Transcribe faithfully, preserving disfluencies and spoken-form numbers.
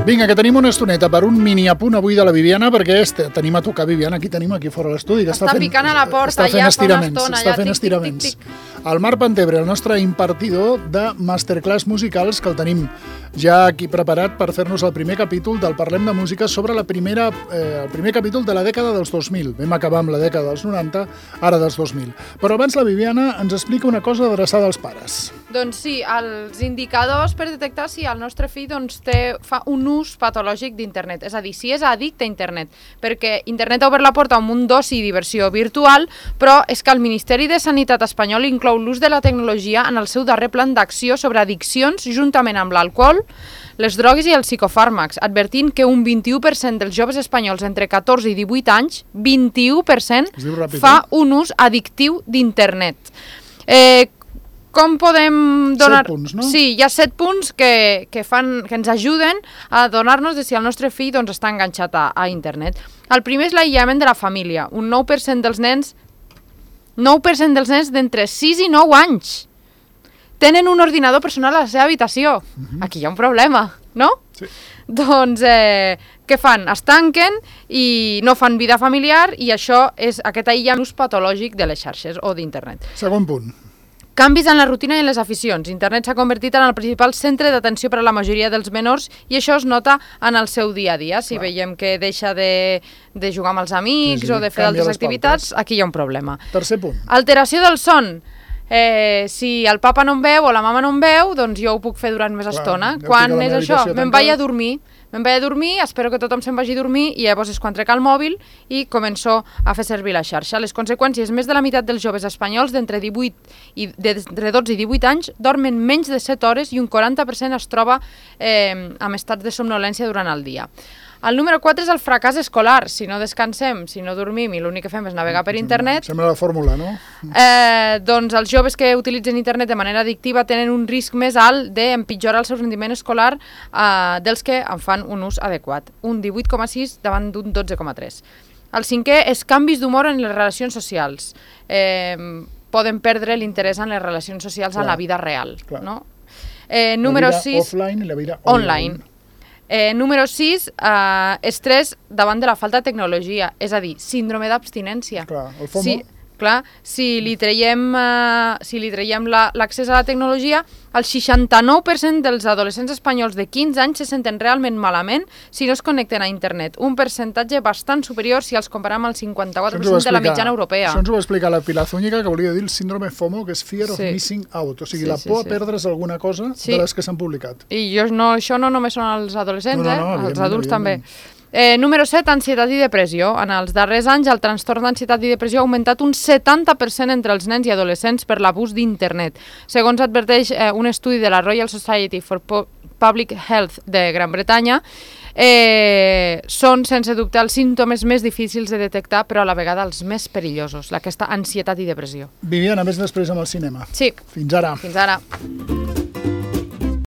Vinga, que tenim una estoneta per un mini apunt avui de la Viviana, perquè este, tenim a tocar Viviana, aquí tenim aquí fora l'estudi. Està, està picant a la porta ja fa una estona. Està fent estiraments. El Marc Pantebre, el nostre impartidor de masterclass musicals, que el tenim ja aquí preparat per fer-nos el primer capítol del Parlem de Música sobre la primera, eh, el primer capítol de la dècada dels dos mil. Vam acabar amb la dècada dels noranta, ara dels dos mil. Però abans la Viviana ens explica una cosa adreçada als pares. Doncs sí, els indicadors per detectar si el nostre fill doncs, té, fa un ús patològic d'internet, és a dir, si és addicte a internet, perquè internet ha obert la porta a un munt d'oci i diversió virtual, però és que el Ministeri de Sanitat espanyol inclou l'ús de la tecnologia en el seu darrer plan d'acció sobre addiccions juntament amb l'alcohol, les drogues i els psicofàrmacs, advertint que un vint-i-u per cent dels joves espanyols entre catorze i divuit anys, vint-i-u per cent, fa un ús addictiu d'internet. Eh, Com podem donar... Set punts, no? Sí, hi ha set punts que, que, fan, que ens ajuden a donar-nos de si el nostre fill doncs, està enganxat a, a internet. El primer és l'aïllament de la família. Un nou per cent dels nens, nou per cent dels nens d'entre sis i nou anys tenen un ordinador personal a la seva habitació. Uh-huh. Aquí hi ha un problema, no? Sí. Doncs, eh, què fan? Es tanquen i no fan vida familiar i això és aquest aïllament patològic de les xarxes o d'internet. Segon punt. Canvis en la rutina i en les aficions. Internet s'ha convertit en el principal centre d'atenció per a la majoria dels menors i això es nota en el seu dia a dia. Si Clar. veiem que deixa de, de jugar amb els amics sí, sí, o de fer altres activitats, pautes. Aquí hi ha un problema. Tercer punt. Alteració del son. Eh, si el papa no em veu o la mama no em veu, doncs jo ho puc fer durant més Clar, estona. Quan és això? Me'n vaig a dormir. Me'n vaig a dormir, espero que tothom se'n vagi a dormir i llavors és quan trec el mòbil i començo a fer servir la xarxa. Les conseqüències, més de la meitat dels joves espanyols d'entre divuit i d'entre dotze i divuit anys dormen menys de set hores i un quaranta per cent es troba eh, amb estats de somnolència durant el dia. El número quatre és el fracàs escolar. Si no descansem, si no dormim i l'únic que fem és navegar per internet... Sembla la fórmula, no? Eh, doncs els joves que utilitzen internet de manera addictiva tenen un risc més alt d'empitjorar el seu rendiment escolar eh, dels que en fan un ús adequat. Un divuit coma sis davant d'un dotze coma tres. El cinquè és canvis d'humor en les relacions socials. Eh, poden perdre l'interès en les relacions socials Clar. en la vida real. No? Eh, número la vida sis, offline i la vida online. online. Eh, número sis, eh, estrès davant de la falta de tecnologia, és a dir, síndrome d'abstinència. Clar, el FOMO. Si, clar, si li traiem, eh, si li traiem la, l'accés a la tecnologia, el seixanta-nou per cent dels adolescents espanyols de quinze anys se senten realment malament si no es connecten a internet. Un percentatge bastant superior si els comparem amb el cinquanta-quatre per cent de la mitjana europea. Això ens ho va explicar la Pilar Zúñiga, que volia dir el síndrome FOMO, que és Fear of sí. Missing Out, o sigui, sí, la por sí, sí. a perdre's alguna cosa sí. de les que s'han publicat. I jo no, això no només són els adolescents, no, no, no, eh? Els adults també. Eh, número set, ansietat i depressió. En els darrers anys el trastorn d'ansietat i depressió ha augmentat un setanta per cent entre els nens i adolescents per l'abús d'internet. Segons adverteix eh, un estudi de la Royal Society for Public Health de Gran Bretanya, eh, són, sense dubte, els símptomes més difícils de detectar, però a la vegada els més perillosos, aquesta ansietat i depressió. Viviana, més després amb el cinema. Sí. Fins ara. Fins ara.